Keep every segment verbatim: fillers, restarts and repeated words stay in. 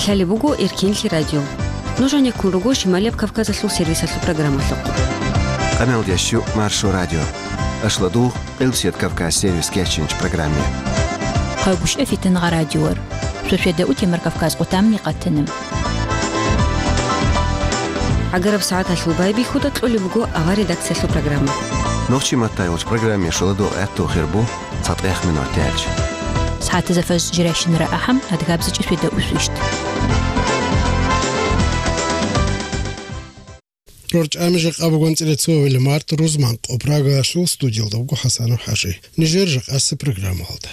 Лъалеб буго Эркенлъи радио. Нуж гьанеккун руго Шималияб Кавказалъул сервисалъул программалъухъ. Къамелдящу Маршо радио. Ашладу, Къилсият Кавказ сервис кечинч программе. Къайгушев Фитнагъа радиор. Сосведа утемар Кавказ къутамни къатанам. ГӀагараб сагӀаталъул байбихьуда кьолеб буго авар редакциялъул программа. Нохчи маттайулч программе шуладу гӀатту хирбу цатӀех минут тяч. СагӀатазафаз жиращинара ахӀам адгабзичӀи сосведа усвищт. РорчӀами жакъа бугонцӀила цо авила март рузман къо Прагаялъул студиялда буго ХӀасанов ХӀажи. Нижер жакъасеб программалда.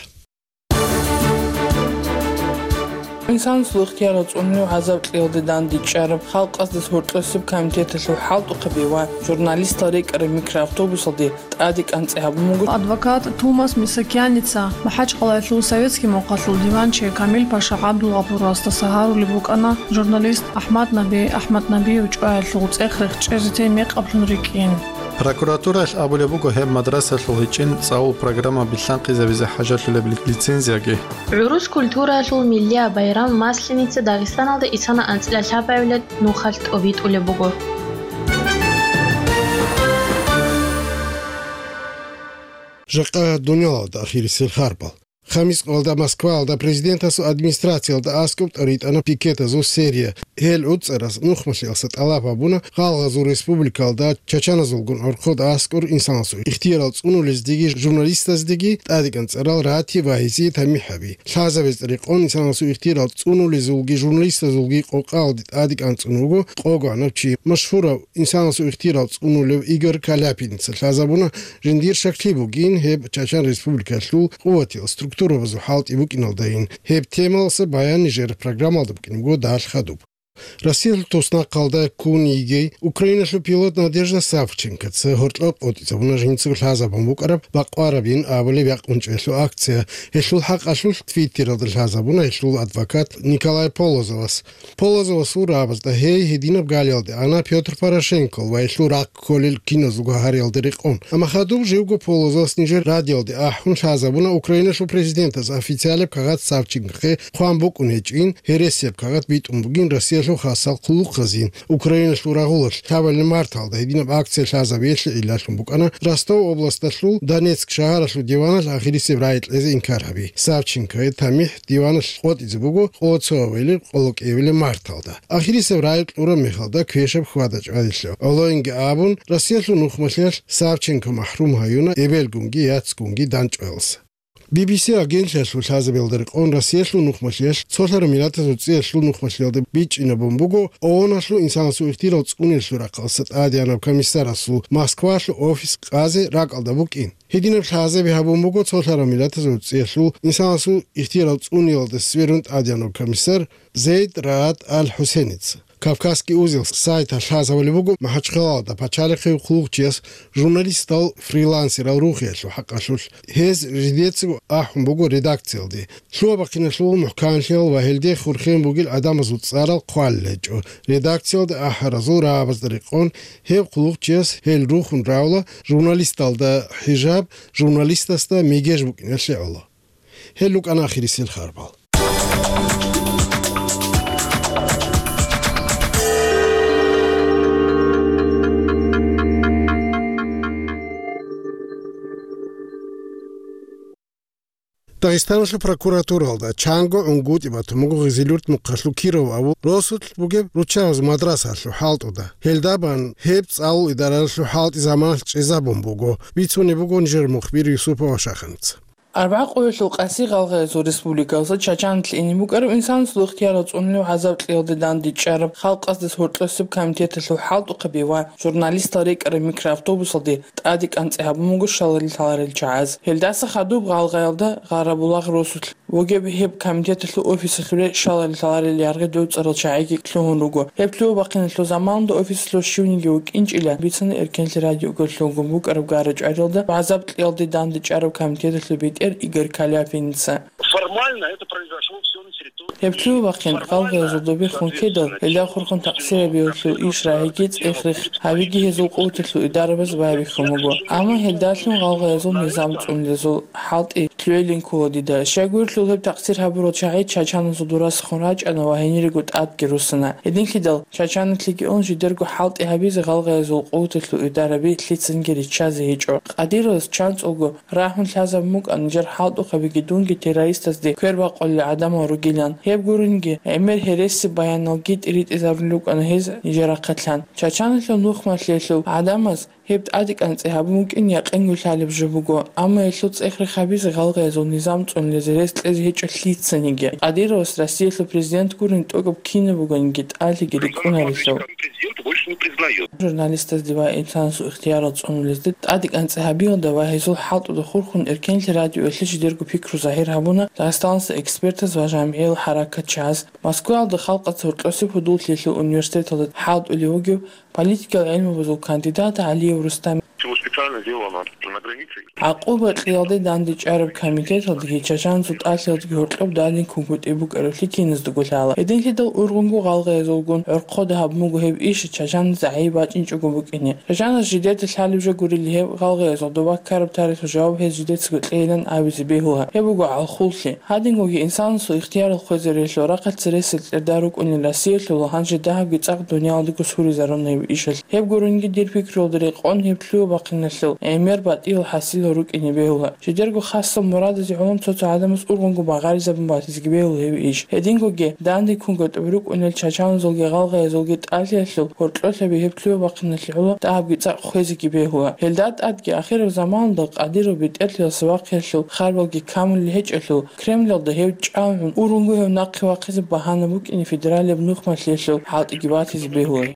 Инсанасул ихтияр цӀунилев гӀазаб кьиялде дандечӀараб халкъаздаса гьоркьосеб комитеталъул хӀалтӀухъаби ва журналистал рекӀараб микроавтобусалде тӀаде кӀанцӀи гьабун буго. Адвокат Тумас Мисакяница МахӀачхъалаялъул советский мухъалъул диванчи Камил-паша ГӀабдулгъапурасда гьарулеб букӀана журналист АхӀмад Наби АхӀмаднабиев чӀваялъул цӀех-рех чӀезе тей мекъаблъун рикӀкӀин. Прокуратураялъ абулеб буго гьеб мадрасалъул гьечӀин цӀалул программа билълъанкъизабизе хӀажалъулеб ли-, лицензияги. ГӀурус культураялъул миллияб байрам Масленица Дагъистаналда исана анцӀила лъабабилеб нухалъ тӀобитӀулеб буго. Жакъа дуниялалда ахирисел харбал. Хамис къоялда Москваялда президентасул администрациялда аскӀоб тӀоритӀана пикетазул серия. Гьел уцӀарас нухмалъиялса тӀалаб гьабуна гъалгъазул республикалда чачаназулгун гӀорхъода аскӀор инсанасул ихтиярал цӀунулездеги журналистаздеги тӀадекӀанцӀарал рати ва гьезие тамихӀ гьаби. Лъазабизе рекъон инсанасул ихтиярал цӀунулезулги журналистазулги къокъаялде тӀадекӀанцӀун вуго къогоанав чи, машгьурав инсанасул ихтиярал цӀунулев Игорь Каляпиница. Лъазабуна, жиндир шаклъи бугин гьеб Чачан Республикалъул къуватиял структурабазул хӀалтӀи букӀиналдайин. Гьеб темаласа баян нижер программалда букӀине буго далъ хадуб. Россиялъул туснахъалда ккун йигей Украиналъул пилот Надежда Савченкоца гьоркьоб къотӀизабуна жинцаго лъазабун букӀараб бакъварабин абулеб якъунчӀелъул акция. Гьелъул хӀакъалъулъ Твиттералда лъазабуна гьелъул адвокат Николай Полозовас. Полозовасул рагӀабазда гьей гьединаб галиялде ана Пётр Порошенкол ва гьелъул рахъ кколел киназулго гьариялда рекъон. Амма хадуб живго Полозовас нижер радиоялде ахӀун лъазабуна Украиналъул президентас официалияб кагъат Савченкохъе хъван букӀун гьечӀин, гьересияб кагъат битӀун бугин Россиялъул хасал хъулухъазин. Украиналъул рагъулалъ лъабабилеб марталда гьединаб акция лъазабиялъе гӀиллалъун букӀана Ростов областалъул Донецк шагьаралъул диваналъ ахирисеб рагӀи кьезе инкар гьаби. Савченкое тамихӀ диваналъ къотӀизе буго къоло цо авилеб къоло кӀиабилеб марталда. Ахирисеб рагӀи кьураб мехалда квешаб хьвада-чӀвадилъа гӀолоинги абун, Россиялъул нухмалъиялъ Савченко махӀрум гьаюна эбелгунги яцгунги данчӀваялса. Би би си агентлъиялъул лъазабиялда рекъон Россиялъул нухмалъиялъ, цолъараб миллатазул цӀиялъул нухмалъиялда бичӀчӀинабун буго ООНалъул инсанасул ихтияр цӀуниялъул рахъалъа тӀадегӀанаб комиссарасул Москвалъул офис къазе ракӀалда букӀин. Гьединаб лъазаби гьабун буго цолъараб миллатазул цӀиялъул инсанасул ихтияр цӀуниялда сверун тӀадегӀанаб комиссар Зейд Раат Аль-ХӀусеница. Кавказский узел сайталъ лъазабулеб буго МахӀачхъалаялда пачалихъе хъулухъчияс журналистал, фрилансерал рухиялъул хӀакъалъулъ. Гьез жидецаго ахӀун буго редакциялде. Лъугьа-бахъиналъул мухӀканлъиял ва гьелде хурхен бугел гӀадамазул цӀарал хъвалел гьечӀо. Редакциялде ахӀаразул рагӀабазда рекъон гьев хъулухъчияс гьел рухун равла журналисталда хӀижаб, журналистасда мегеж букӀиналъе гӀоло. Гьел рукӀана ахирисел харбал. Дагъистаналъул прокуратуралда чанго гӀунгутӀи батун буго Гъизилюрт мухъалъул Киров абу росулъ бугеб руччабазул мадрасалъул хӀалтӀуда. Гьелда бан гьеб цӀалул идаралъул хӀалтӀи заманалъ чӀезабун буго, бицунеб буго нижер мухбир Юсупова Шаханица. Арбагъ къоялъул къаси гъалгъаязул республикалъа Чачанлъ ине букӀараб инсанасул ихтияр цӀунулев гӀазаб кьиялде дандечӀараб халкъаздаса гьоркьосеб комитеталъул хӀалтӀухъаби ва журналистал рекӀараб микроавтобусалде тӀаде кӀанцӀи гьабун буго шалали лъаларел чагӀаз. Гьелдаса хадуб гъалгъаялда Гъарабулагъ росулъ вугеб гьеб комитеталъул офисалъуре шалали лъаларел яргъи доцӀарал чагӀиги лъугьун руго. Гьеб лъугьа-бахъиналъул заманалда офисалъув щивниги вукӀинчӀила бицана Эркенлъи радиогоялъулго букӀараб гара-чӀваралда гӀазаб кьиялде дандечӀараб комитеталъул бетӀер Игорь Каляпиница. Формально это произошло всё на территории. Гьеб лъугьа-бахъин гъалгъаязул добехун ккедал, гьелда хурхун такъсирабиялъул иш рагӀиги цӀех-рех гьавиги гьезул къуваталъул идарабаз байбихьун буго. Амма гьелдалъун гъалгъаязул низам цӀунулезул хӀалтӀи лъугӀилин ккола дида. Щайгурелъул гьеб такъсир гьабурал чагӀи чачаназул дурасехун рачӀана ва гьенирего тӀадги руссана. Гьединлъидал чачаналъеги ун жидерго хӀалтӀи гьабизе гъалгъаязул къуваталъул идараби лъицанги риччазе гьечӀо. Кадыровас чанцӀулго рагьун лъазабун букӀана нижер хӀалтӀухъабиги дунги террористазде квербакъулел гӀадамал ругилан. Гьеб гуринги, гӀемер гьереси баяналги тӀиритӀизарулел рукӀана гьез нижер рахъалъан. Чачаналъул нухмалъиялъул гӀадамаз гьеб тӀадекӀанцӀи гьабун букӀин якъинго лъалеб жо буго, амма гьелъул цӀех-рех гьабизе гъалгъаязул низам цӀунулезе рес кьезе гьечӀо лъицаниги. Кадыровас Россиялъул президент гурин тӀокӀаб кинаб бугониги тӀалъиги рикӀкӀунаро гьев. Президент больше не признает. Журналистазде ва инсанасул ихтиярал цӀунулезде тӀадекӀанцӀи гьабиялда ва гьезул хӀалтӀуда хурхун Эркенлъи радиоялъе жидерго пикру загьир гьабуна Дагъистаналъул экспертаз ва жамгӀиял хӀаракатчияз. Москваялда халкъаца гьоркьосе пудуллъиялъул университеталда хӀалтӀулев вугев политикал гӀилмабазул кандидат ГӀалиев Рустам. Всего специально сделано на границе. ГӀакъуба кьиялде дандечӀараб комитеталдаги чачаназул тӀалъиялдаги гьоркьоб дандин кунгутӀи букӀараблъи киназдаго лъала. Гьединлъидал ургъунго гъалгъаязулгун гӀорхъода гьаб буго гьеб иш чачаназ гӀайиб бачӀинчӀого букӀине. Чачаназ жидеда лъалеб жо гурили гьеб гъалгъаязул доба ккараб тарихалъул жаваб гьез жидецаго кьейилан абизе бегьула. Гьеб буго гӀалхуллъи. Гьадинго инсанасул ихтиярал хвезарелъул рахъалъ цересел кьерда рукӀунел Россиялъул гьанже дагьабги цӀакъ дуниялалдаго суризаруна гьеб ишалъ. Гьеб гуринги дир пикруялда рекъон гьеб лъугьа-бахъиналъул гӀемер батӀиял хӀасилал рукӀине бегьула. Жидерго хасал мурадазе гӀоло цо-цо гӀадамаз ургъунго багъаризабун батизеги бегьула гьеб иш. Гьедингоги, данде кунгутӀи букӀунел чачаназулги гъалгъаязулги тӀалъиялъул гьоркьолъаби гьеб лъугьа-бахъиналъе гӀоло дагьабги цӀакъ хвезеги бегьула. Гьелда тӀадги ахираб заманалда Кадыров бетӀерлъиялъул вахъиялъул харбалги камулел гьечӀелъул, Кремлалда гьев чӀалгӀун ургъунго гьев нахъе вахъизе багьана букӀине федералияб нухмалъиялъул хӀалтӀиги батизе бегьула.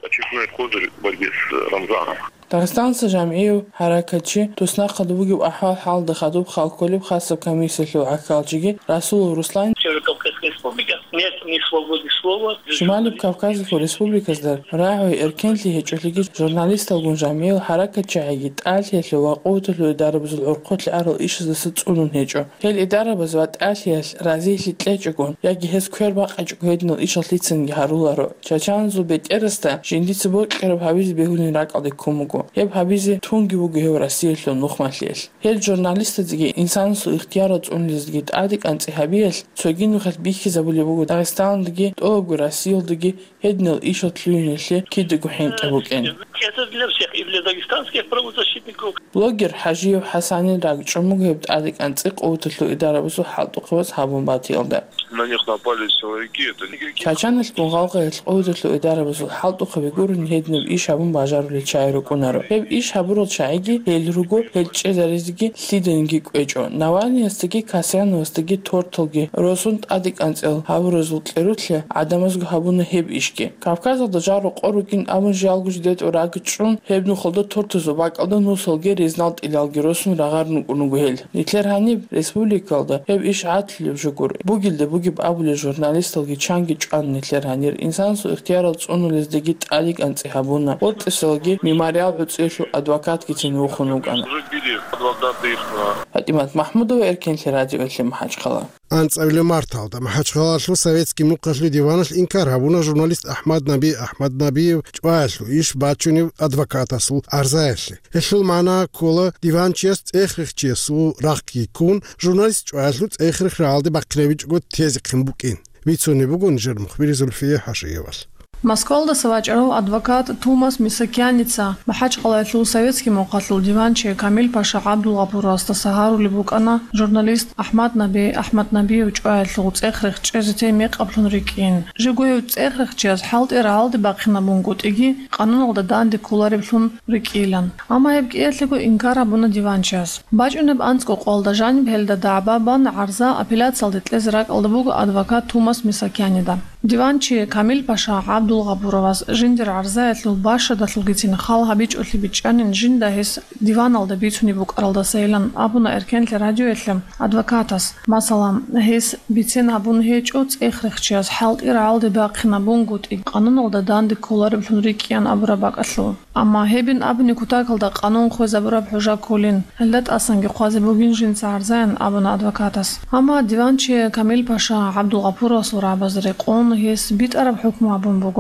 Очередной козырь в борьбе с Рамзаном. Дагъистаналъул жамгӀияв хӀаракатчи туснахъалда бугеб ахӀвал-хӀалда хадуб хал кколеб хасаб комиссиялъул гӀахьалчиги Расулов Руслан. Северо-Кавказская республика. Нет ни свободы слова. Шималиб Кавказалъул республиказда рагӀи эркенлъи гьечӀолъиги журналисталгун жамгӀиял хӀаракатчагӀиги тӀалъиялъул ва къуваталъул идарабазул гӀорхъолъи арал ишаздаса цӀунун гьечӀо. Гьел идарабаз ва тӀалъиялъ разилъи кьечӀогон яги гьез квер бакъичӀого гьединал ишал лъицанги гьаруларо. Чачаназул бетӀерасда жиндица бокьараб гьабизе бегьулин ракӀалде ккун буго. Гьеб гьабизе тунги вуго гьев Россиялъул нухмалъиялъ. Гьел журналистазеги инсанасул ихтиярал цӀунулезеги тӀадекӀанцӀи гьабиялъ цоги нухалъ бихьизабулеб буго Дагъистаналдаги, тӀолабго Россиялдаги гьединал ишал лъугьиналъе кидаго хӀинкъи букӀин. Это для всех, и для дагестанских правозащитников. Блогер ХӀажиев ХӀасанил ракӀчӀун буго гьеб тӀадекӀанцӀи къуваталъул идарабазул хӀалтӀухъабаз гьабун батиялда. На них напали силовики, это не игроки. Чачаналъгун гъалгъаялъ къуваталъул идарабазул хӀалтӀухъаби гурони гьединаб иш гьабун бажарулел чагӀи рукӀунаро. Гьеб иш гьабурал чагӀиги гьел руго, гьел чӀезаризе лъиданиги кӀвечӀо. Навальныясдаги Касьяновасдаги торталги росун тӀадекӀанцӀил гьабуразул кьерулъе гӀадамазго гьабуна гьеб ишги. Кавказалда жал-рокъор ругин абун жиялго жидетӀ ракӀчӀун гьеб нухалда тортазул бакӀалда нусалги резнал тӀилалги росун рагъарун рукӀун руго гьел. Нилъер гьаниб республикалда гьеб иш гӀадлъулеб жо гуро. Бугелда бугеб абулел журналисталги чанги чӀван нилъер гьанир инсанасул ихтиярал цӀунулездаги тӀадекӀанцӀи гьабуна. Гъоркьисалги Мемориал гӀуцӀиялъул адвокатгицин вухун вукӀана. Уже били адвокаты их на. ПатӀимат Махмудова, Эркенлъи радиоялъе МахӀачхъала. АнцӀабилеб марталда МахӀачхъалалъул советский мухъалъул диваналъ инкар гьабуна журналист АхӀмад Наби АхӀмад Набиев чӀваялъул иш бачунев адвокатасул гӀарзаялъе. Гьелъул магӀна ккола, диванчияс цӀех-рехчиясул рахъги ккун, журналист чӀваялъул цӀех-рех рагӀалде бахъинабичӀого тезехъин букӀин. Бицунеб буго нижер мухбир Зульфия ХӀажиевалъ. Москвалдаса вачӀарав адвокат Тумас Мисакяница МахӀачхъалаялъул советский мухъалъул диванчи Камил-паша ГӀабдулгъапуровасдаса гьарулеб букӀана журналист АхӀмад Наби АхӀмад Набиев чӀваялъул цӀех-рех чӀезе тей мекъаблъун рикӀкӀин. Жего гьев цӀех-рехчияс хӀалтӀи рагӀалде бахъинабунгутӀиги, къануналда данде кколареблъун рикӀкӀилан. Амма гьеб кӀиялъего инкар гьабуна диванчияс. БачӀунеб анцӀго къоялда жаниб гьелда дагӀба бан гӀарза апелляциялде кьезе ракӀалда буго адвокат Тумас Мисакянида. Диванчи Камил-паша ГӀабдулгъапуровас жиндир гӀарзаялъул бащадалъулгицин хал гьабичӀолъи бичӀчӀанин жинда гьес диваналда бицунеб букӀаралдасайилан абуна Эркенлъи радиоялъе адвокатас. Масала, гьес бицен гьабун гьечӀо цӀех-рехчияс хӀалтӀи рагӀалде бахъинабунгутӀи, къануналда данде кколареблъун рикӀкӀиян абураб бакӀалъул. Амма гьебин абуни кутакалда къанун хвезабураб хӀужа кколин, гьелда тӀасанги хъвазе бугин жинца гӀарзаян абуна адвокатас. Амма диванчи Камил-паша ГӀабдулгъапуровасул рагӀабазе рекъон гьес битӀараб хӀукму гьабун буго.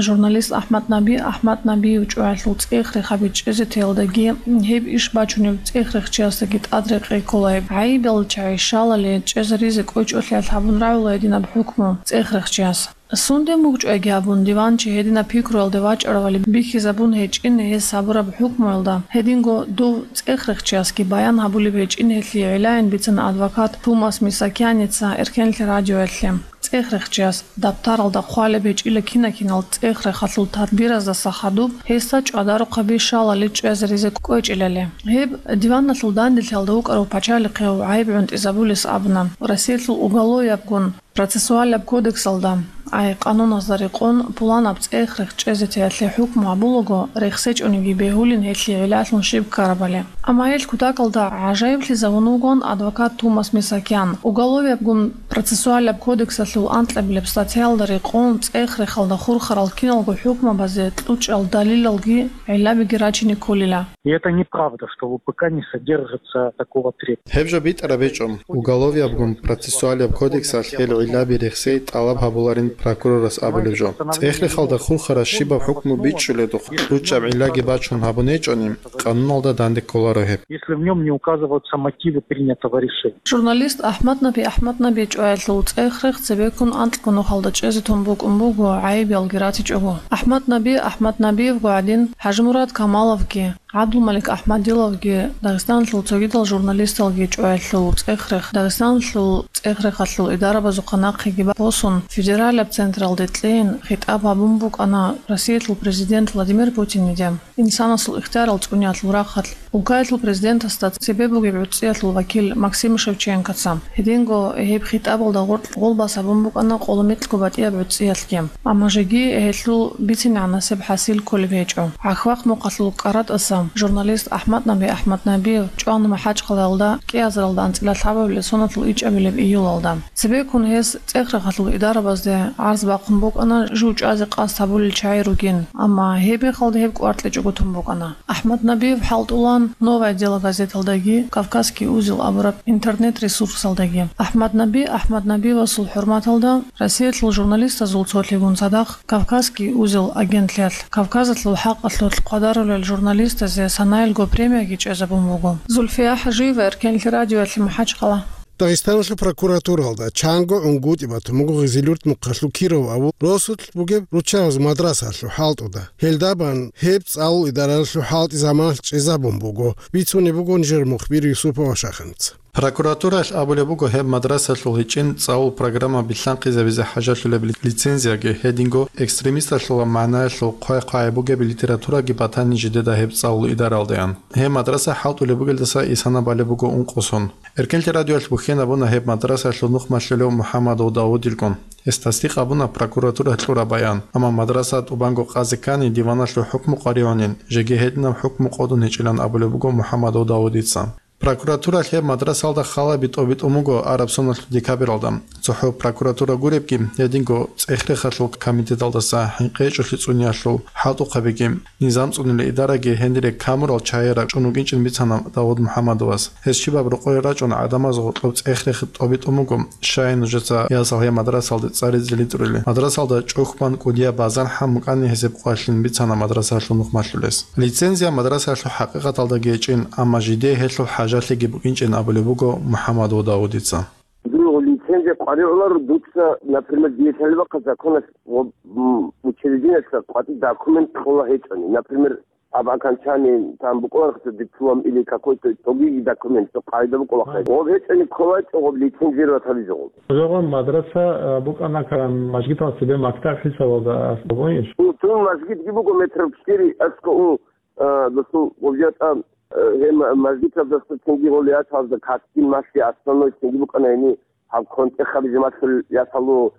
Журналист АхӀмад Наби АхӀмад Набиев чӀваялъул цӀех-рех гьабичӀезе теялдаги, гьеб иш бачунеб цӀех-рехчиясдаги тӀад рекъей ккола гьеб. ГӀайибал чагӀи щалали чӀезаризе кӀвечӀолъиялъ гьабун рагӀула гьединаб хӀукму цӀех-рехчияс. Сунден бугчӀвайги гьабун, диванчи гьединаб пикруялде вачӀаравали бихьизабун гьечӀин гьес гьабураб хӀукмуялда, гьединго дов цӀех-рехчиясги баян гьабулеб гьечӀин гьелъие гӀиллагӀин бицана адвокат Тумас Мисакяница Эркенлъи радиоялъе. ЦӀех-рехчияс дабтаралда хъвалеб гьечӀила кина-кинал цӀех-рехалъул тадбираздаса хадуб гьесда чӀвадарухъаби щалали чӀезаризе кӀвечӀилали. Гьеб диваналъул данделъиялда вукӀарав пачалихъив гӀайиб гӀунтӀизабулес абуна, Россиялъул уголовиябгун процессуалаб кодексалда, ай къануназда рекъон, пуланаб цӀех-рех чӀезе теялъе хӀукму гьабулаго, рехсечӀониги бегьулин гьелъие гӀилалъун щиб ккарабали. Амма гьел кутакалда гӀажаиблъизавун вугон адвокат Тумас Мисакян. Уголовиябгун процессуалаб кодексалъул анкьабилеб статьялда рекъон, цӀех-рехалда хурхарал киналго хӀукмабазе кьучӀал далилалги гӀиллабиги рачине кколила. И это неправда, что в УПК не содержится такого требования. Гьеб жо битӀараб гьечӀо. Уголовиябгун процессуалияб кодексалъ гьел гӀиллаби рехсей тӀалаб гьабуларин прокурорас абулеб жо. ЦӀех-рехалда хурхарас щибаб хӀукму бичӀчӀуледухъ, кьучӀаб гӀиллаги бачун гьабун гьечӀони, къануналда данде кколаро гьеб. Если в нём не указываются мотивы принятого решения. Журналист АхӀмад Наби АхӀмад Наби чӀваялъул цӀех-рех цебеккун анкьго нухалда чӀезе тун букӀун буго, гӀайибалги ратичӀого. АхӀмад Наби АхӀмад Набиевго гӀадин, ХӀажимурад Камаловги, ГӀабдулмалик АхӀмадиловги, Дагъистаналъул цогидал журналисталги чӀваялъул цӀех-рех, Дагъистаналъул цӀех-рехалъул идарабазухъа нахъеги босун, федералаб централде кьейин, хитӀаб гьабун букӀана Россиялъул президент Владимир Путиниде. Инсанасул ихтиярал цӀуниялъул рахъалъ, Улкаялъул президентасда цебе бугеб гӀуцӀиялъул вакил Максим Шевченкоца. Гьединго гьеб хитӀабалда гъоркь гъолбас гьабун букӀана къоло микьго батӀияб гӀуцӀиялъги. Амма жеги гьелъул бицинегӀан насиб хӀасил кколеб гьечӀо. ГӀахьвахъ мухъалъул КӀаратӀаса журналист АхӀмад Наби АхӀмад Набиев чӀвана МахӀачхъалаялда кӀиазаралда анцӀила лъабабилеб соналъул ичӀабилеб июлалда. Цебеккун гьес цӀех-рехалъул идарабазде гӀарз бахъун букӀана жив чӀвазе къасд гьабулел чагӀи ругин, амма гьеб мехалда гьеб кӀвар кьечӀого тун букӀана. АхӀмад Набиев хӀалтӀулан «Новое дело» газеталдаги, «Кавказский узел» абураб интернет-ресурсалдаги. АхӀмад Наби АхӀмад Набиевасул хӀурматалда Россиялъул журналистазул цолъигун цадахъ «Кавказский узел» агентлъиялъ Кавказалъул хӀакъалъулъ хъвадарулел журналистазе санаялго премияги чӀезабун буго. Зульфия ХӀажиева, Эркенлъи радиоялъе, МахӀачхъала. Дагъистаналъул прокуратуралда чанго гӀунгутӀи батун буго Гъизилюрт мухъалъул Кирово абу росулъ бугеб руччабазул мадрасалъул хӀалтӀуда. Гьелда бан гьеб цӀалул идаралъул хӀалтӀи заманалъ чӀезабун буго, бицунеб буго нижер мухбир Юсупова Шаханица. Прокуратураялъ абулеб буго гьеб мадрасалъул гьечӀин цӀалул программа билълъанхъизабизе хӀажалъулеб ли-, лицензияги, гьединго экстремисталъула магӀнаялъул хъвай-хъвай бугеб литератураги батани жидеда гьеб цӀалул идаралдаян. Гьеб мадраса хӀалтӀулеб бугелдаса исана балеб буго ункъо сон. Эркенлъи радиоялъ бухьен абуна гьеб мадрасаялъул нухмалъулев МухӀаммадов Давудилгун. Гьес тасдикъ абуна прокуратура кьураб баян, амма мадраса тӀубанго къазе ккани диваналъул хӀукму къваригӀунин, жеги гьединаб хӀукму къотӀун гьечӀилан абулеб буго МухӀаммадов Давудица. Прокуратураялъ гьеб мадрасалда халаби тӀобитӀун буго араб соналъул декабралда. ЦохӀо прокуратура гуребги, гьединго цӀех-рехалъул комитеталдаса хӀинкъи гьечӀолъи цӀуниялъул хӀалтӀухъабиги, низам цӀунила идараги гьенире камурал чагӀи рачӀун вукӀинчӀин бицана Давуд МухӀаммадовас. Гьес щибаб рокъое рачӀун гӀадамаз гъоркьоб цӀех-рехи тӀобитӀун буго, щай нужеца ясал гьеб мадрасалде цӀаризе ритӀурили. Мадрасалда чӀухь бан кӀудияб базан хӀам букӀани гьезеб къвалъин бицана мадрасалъул нухмалъулес. Лицензия мадрасалъул хӀакъикъаталдаги гьечӀин, амма жидее гьелъул хӀажалъиги букӀинчӀин абулеб буго МухӀаммадов Давудица. Дурго лицензия къваригӀуларо дуца, например, дие лъалеб бахъа законалъ ва, м, учреждениялъа къватӀи документ кьола гьечӀони. Например, об окончании там букӀуна диплом или какой-то другие документ, цо къагӀида букӀуна хъе. Гъоб гьечӀони кколачӀо гъоб лицензировать гьабизе гъоб. Жагъун мадраса, а, букӀана кан мажгитал цебе мактаб хӀисабалда аслугъунищ? Ун тун мажгитги буго метров четыре аскӀун, а, досул гъоб жатӀа, а, гьеб мажгиталдаса цинги гъол ячалда каскин малъи основной цинги букӀана гьени. Гьаб контӀе хабизе малъул ясалу,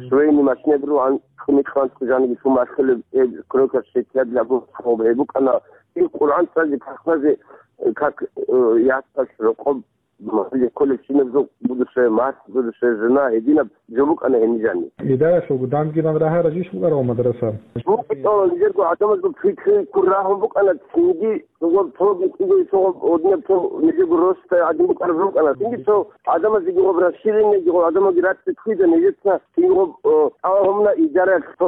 швейный машинаб ругӀан, кӀуни-кьван жаниги лъун малъулеб, гьеб кройка шеклъабилаб гьеб букӀана. И Къуръан цӀазе, пахмазе, как, э, ясалъ рокъоб, м-, кколебщинаб жо, будущая мать, будущая жена, гьединаб жо букӀана гьениб жани. Гьединаб жо букӀана гьениб жани. Гьединаб жо букӀана гьениб жани. БукӀана нижерго гӀадамазул пикри ккун рагьун букӀана, цинги цогоб пробник кӀиго, цогоб однеб цо нижего роста гӀадин букӀараб рукӀана. Цинги цо гӀадамазеги гъоб расширенияги, гъоб гӀадамалги рацӀцӀи кквида нижеца, цинги гъоб, о, тӀалаб гьабуна идаралъ цо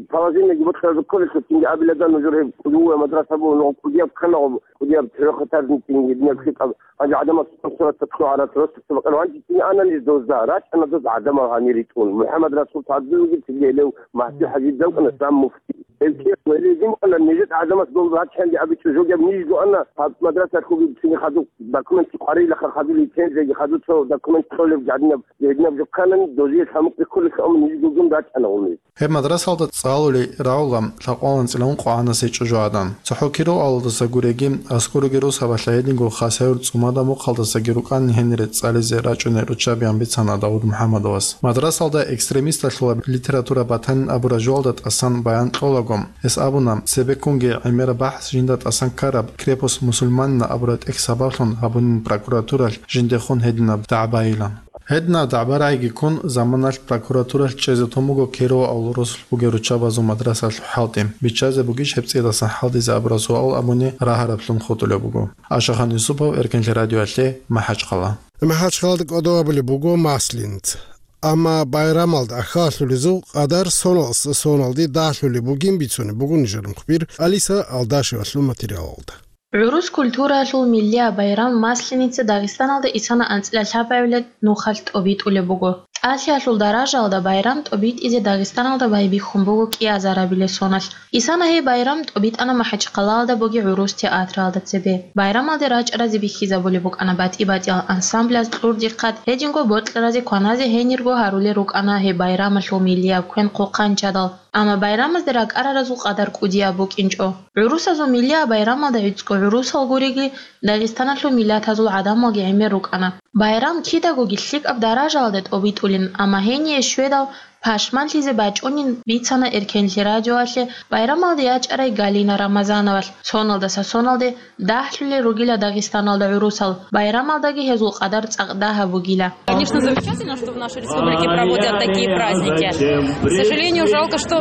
положениеги бокьараб кколелъул, цинги абиладан нужер гьеб кӀудияв мадраса буго, нугъ кӀудияб ккана гъоб, кӀудияб трёхэтажный цинги гьединаб лъикӀаб. Гьанже гӀадамал сорок-сорок цо гӀарат роста цо бакӀана. Гьанже цинги ана ниж дозда, рачӀана доз гӀадамал гьанир ритӀун. МухӀаммад Расул Фадулги цинги гьелев Магьди ХӀажи далкъана сам муфти. Гьеб кияс гьеле гьедин букӀана, нижеца гӀадамас дол рачанги абичӀо жогеб ниж дуана, гьаб мадрасалъулги цинги хадуб документ къварилаха, хадуб лицензияги, хадуб цо документ кьолеб гьадинаб, гьединаб жо кканани, дозие лъамукъ рекколелъул, амма ниж гугун рачӀана гъумиз. Гьеб мадрасалда цӀалули рагӀула лъакъвалан цӀилан къвагӀанас гьечӀо жо гӀадан. ЦохӀо Киров авалдаса гуреги, аскӀоруги росабалъа гьединго Хасавюрт ЦӀумада мухъалдасаги рукӀан гьенире цӀализе рачӀунел руччабиян бицана Давуд МухӀаммадовас. Мадрасалда экстремисталъула литература батанин абураб жоялда тӀасан баян кьолаго, гьес абуна, цебеккунги гӀемераб бахӀс жинда тӀасан ккараб Крепость мусульманина абураб тӀехь сабаблъун гьабунин прокуратуралъ жиндехун гьединаб дагӀба-йилан. Гьединаб дагӀба-рагӀиги ккун, заманалъ прокуратуралъ чӀезе тун буго Киров авал росулъ бугел руччабазул мадрасалъул хӀалтӀи. Биччазе бугищ гьеб цӀидасан хӀалтӀизе абураб суал абуни рагьараблъун хутӀулеб буго. Ашахан Юсупов, Эркенлъи радиоялъе, МахӀачхъала. МахӀачхъалада кӀодо гьабулеб буго Масленица. Амма байрамалда ахӀаллъулезул къадар соналъ соналде дагьлъулеб бугин бицунеб буго нижер мухбир Алиса Алдашевалъул материалалда. ГӀурус культураялъул миллияб байрам Масленица Дагъистаналда исана анцӀила лъабабилеб нухалъ тӀобитӀулеб буго. ТӀалъиялъул даражаялда байрам тӀобитӀизе Дагъистаналда байбихьун буго кӀиазарабилеб соналъ. Исана гьеб байрам тӀобитӀана МахӀачхъалаялда бугеб гӀурус театралда цебе. Байрамалде рачӀаразе бихьизабулеб букӀана батӀи-батӀиял ансамбляз кьурдихъад, гьединго бокьаразе кваназе гьенирго гьарулел рукӀана гьеб байрамалъул миллияб квен хъухъанчадал. Амма байрамазде ракӀараразул къадар кӀудияб букӀинчӀо. ГӀурусазул миллияб байрамалда гӀицӀго гӀурусал гуриги, Дагъистаналъул миллатазул гӀадамалги гӀемер рукӀана. Байрам кидагоги лъикӀаб даражаялда тӀобитӀулин, амма гьение щведал пашманлъизе бачӀунин бицана Эркенлъи радиоялъе байрамалде ячӀарай Галина Рамазановалъ. Соналдаса соналде дагьлъулел ругила Дагъистаналда гӀурусал, байрамалдаги гьезул къадар цӀакъ дагьаб бугила. Конечно, замечательно, что в нашей республике проводят такие праздники. К сожалению, жалко, что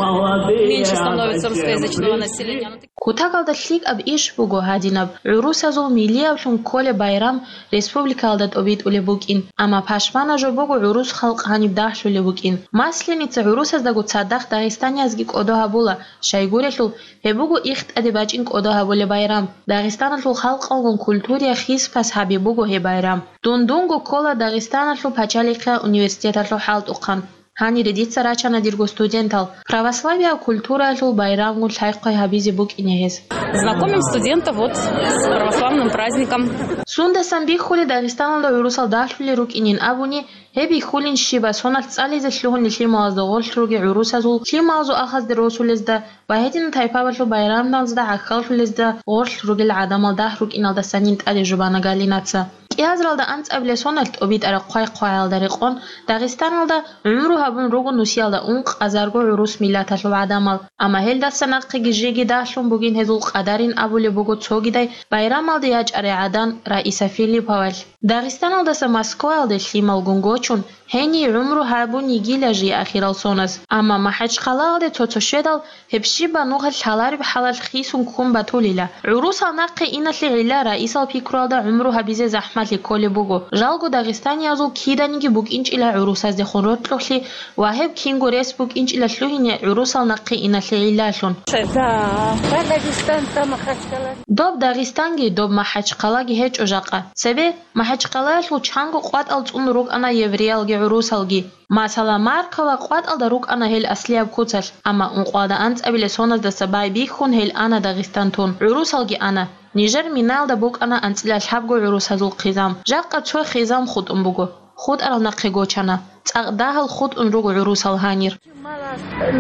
меньше становится русскоязычного населения. Кутакалда лъикӀаб иш буго гьадинаб, гӀурусазул миллияблъун кколеб байрам республикаялда тӀобитӀулеб букӀин, амма пашмана жо буго гӀурус халкъ гьаниб дагьлъулеб букӀин. Масленица гӀурусаздаго цадахъ дагъистаниязги кӀодо гьабула, щайгурелъул, гьеб буго их тӀаде бачӀин кӀодо гьабулеб байрам. Дагъистаналъул халкъалгун культурияй хис-пас гьаби буго гьеб байрам. Дун-дунго ккола Дагъистаналъул пачалихъиял университеталъул хӀалтӀухъан. Гьанире дица рачана дирго студентал, православияб культураялъул байрамгун лъай-хъвай гьабизе букӀине гьез. Знакомим студентов вот с православным праздником. Сундасан бихьулеб Дагъистаналда гӀурусал дагьлъулел рукӀинин абуни, гьеб бихьулин щибаб соналъ цӀализе лъугьунел лъималазда гъорлъ ругел гӀурусазул лъималазул ахӀазде росулезда ва гьединал тайпабазул байрамазда гӀахьаллъулезда гъорлъ ругел гӀадамал дагь рукӀиналдасанин тӀаде жубана Галинаца. КӀиазаралда анцӀабилеб соналъ тӀобитӀараб хъвай-хъваялда рекъон Дагъистаналда гӀумру гьабун руго нусиялда ункъазарго гӀурус миллаталъул гӀадамал, амма гьелдаса нахъеги жеги дагьлъун бугин гьезул къадарин абулеб буго цогидай байрамалде ячӀарай гӀадан Раиса Филипповалъ. Дагъистаналдаса Москваялде лъималгун гочун, гьение гӀумру гьабун йигила жий ахирал соназ. Амма МахӀачхъалаялде цо-цо щведал гьеб щибаб нухалъ лъалареб хӀалалъ хисун ккун батулила. ГӀурусал нахъе иналъе гӀилла Раисал пикруялда гӀумру гьабизе захӀмалъи кколеб буго. Жалго дагъистаниязул киданиги букӀинчӀила гӀурусаздехун рокьулъи ва гьеб кинго рес букӀинчӀила лъугьине гӀурусал нахъе иналъе гӀиллалъун. Да, да, Дагестан, там Махачкала. Доб Дагъистанги, доб МахӀачхъалаги гьечӀо жакъа. Цебе МахӀачхъалаялъул чанго къватӀал цӀун рукӀана евреялги гӀурусалги. Масала, Маркова къватӀалда рукӀана гьел аслияб куцалъ, амма ункъоялда анцӀабилеб соназдаса байбихьун гьел ана Дагъистан тун, гӀурусалги ана. Нижер Минаялда букӀана анцӀила лъабго гӀурусазул хъизан. Жакъа цо хъизан хутӀун буго. ХутӀарал нахъе гочана. ЦӀакъ дагьал хутӀун руго гӀурусал гьанир.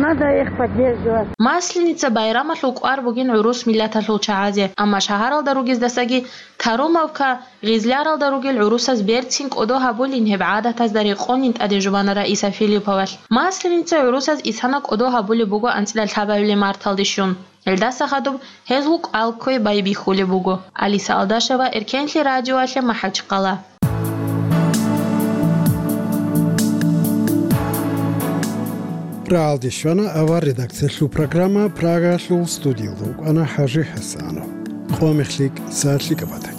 Надо их поддерживать. Масленица байрамалъул кӀвар бугин гӀурус миллаталъул чагӀазе, амма шагьаралда ругездасаги Тарумовка, Гъизляралда ругел гӀурусаз берцин кӀодо гьабулин гьеб гӀадатазда рекъонин тӀаде жубана Раиса Филипповалъ. Масленица гӀурусаз исана кӀодо гьабулеб буго анцӀила лъабабилеб марталде щун. Гьелдаса хадуб гьезул кӀвал кквей байбихьулеб буго. Алиса Алдашева, Эркенлъи радиоялъе, МахӀачхъала. Рагьалде щвана авар редакциялъул программа, Прагалъул студиялда вукӀана ХӀажи ХӀасанов. къо мехлъи кӀиса лъикӀаб батани.